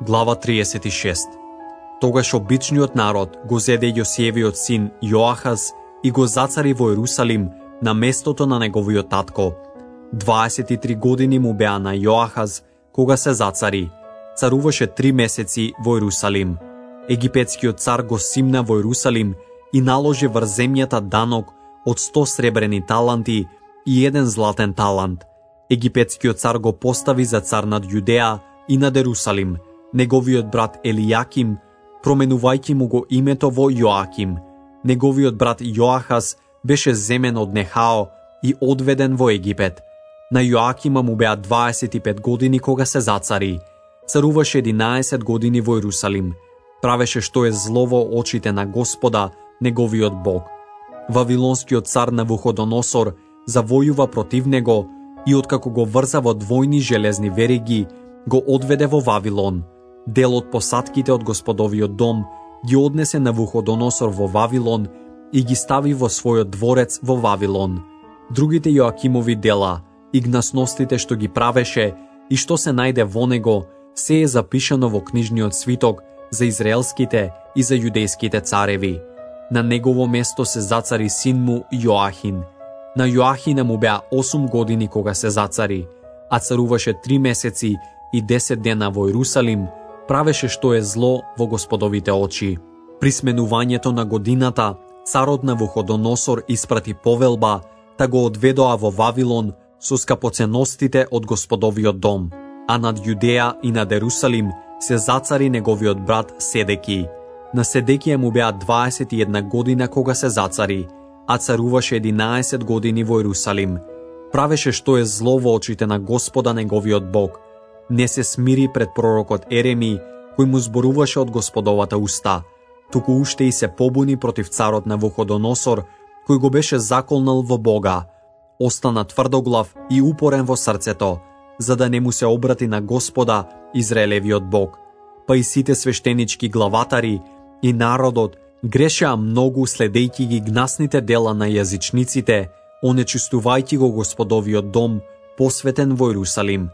Глава 36. Тогаш обичниот народ го зеде Јосиевиот син Јоахаз и го зацари во Ерусалим на местото на неговиот татко. 23 години му беа на Јоахаз кога се зацари. Царуваше 3 месеци во Ерусалим. Египетскиот цар го симна во Ерусалим и наложи врз земјата данок од 100 сребрени таланти и 1 златен талант. Египетскиот цар го постави за цар над Јудеа и над Ерусалим, неговиот брат Елијаким, променувајќи му го името во Јоаким. Неговиот брат Јоахаз беше земен од Нехао и одведен во Египет. На Јоакима му беа 25 години кога се зацари. Царуваше 11 години во Ерусалим. Правеше што е зло во очите на Господа, неговиот Бог. Вавилонскиот цар Навуходоносор завојува против него и откако го врза во двојни железни вериги, го одведе во Вавилон. Дел од посадките од Господовиот дом ги однесе Навуходоносор во Вавилон и ги стави во својот дворец во Вавилон. Другите Јоакимови дела, игнасностите што ги правеше и што се најде во него, се е запишано во книжниот свиток за израелските и за јудејските цареви. На негово место се зацари син му Јоахин. На Јоахина му беа 8 години кога се зацари, а царуваше 3 месеци и 10 дена во Ерусалим, правеше што е зло во Господовите очи. При сменувањето на годината, царот Навуходоносор испрати повелба да го одведоа во Вавилон со скапоценностите од Господовиот дом, а над Јудеа и над Ерусалим се зацари неговиот брат Седеки. На Седекија му беа 21 година кога се зацари, а царуваше 11 години во Ерусалим. Правеше што е зло во очите на Господа неговиот Бог. Не се смири пред пророкот Ереми, кој му зборуваше од Господовата уста, туку уште и се побуни против царот Навуходоносор, кој го беше заколнал во Бога. Остана тврдоглав и упорен во срцето, за да не му се обрати на Господа, Израелевиот Бог. Па и сите свештенички главатари и народот грешеа многу следејќи ги гнасните дела на јазичниците, онечистувајќи го Господовиот дом, посветен во Ерусалим.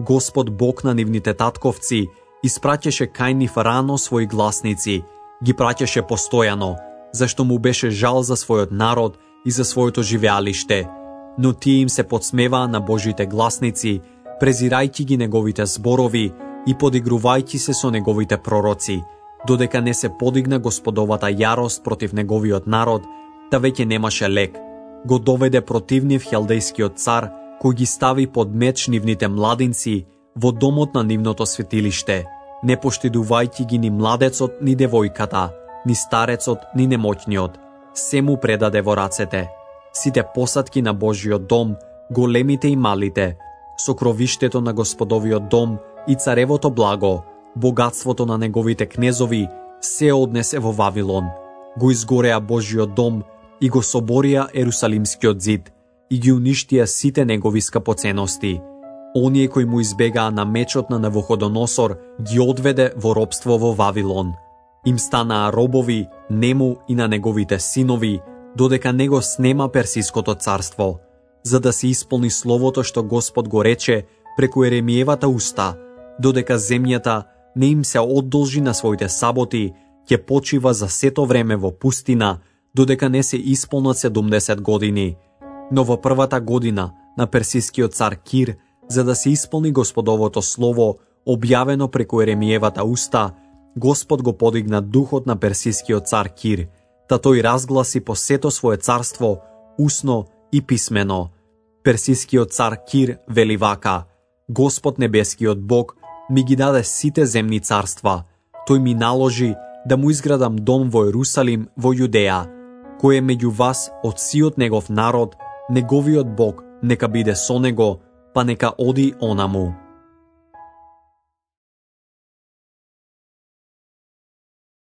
Господ Бог на нивните татковци испраќаше кај нив рано своји гласници, ги праќаше постојано, зашто му беше жал за својот народ и за своето живеалиште. Но тие им се подсмеваа на Божите гласници, презирајќи ги неговите зборови и подигрувајќи се со неговите пророци, додека не се подигна Господовата јарост против неговиот народ, да веќе немаше лек. Го доведе против нив хелдејскиот цар, кој ги стави под меч нивните младинци во домот на нивното светилиште, не поштедувајќи ги ни младецот, ни девојката, ни старецот, ни немоќниот. Се му предаде во рацете. Сите посадки на Божиот дом, големите и малите, сокровиштето на Господовиот дом и царевото благо, богатството на неговите кнезови, се однесе во Вавилон. Го изгореа Божиот дом и го соборија Ерусалимскиот зид и ги уништија сите негови скапоценности. Оние кои му избегаа на мечот на Навуходоносор ги одведе во робство во Вавилон. Им станаа робови нему и на неговите синови, додека не го снема Персиското царство, за да се исполни словото што Господ го рече преку Еремиевата уста, додека земјата не им се одолжи на своите саботи, ќе почива за сето време во пустина, додека не се исполнат 70 години. Но во првата година на персискиот цар Кир, за да се исполни Господовото слово, објавено преку Еремиевата уста, Господ го подигна духот на персискиот цар Кир, та тој разгласи по сето свое царство, усно и писмено. Персискиот цар Кир вели вака: Господ небескиот Бог ми ги даде сите земни царства. Тој ми наложи да му изградам дом во Ерусалим во Јудеа, кој е меѓу вас од сиот негов народ, неговиот Бог нека биде со него, па нека оди онаму.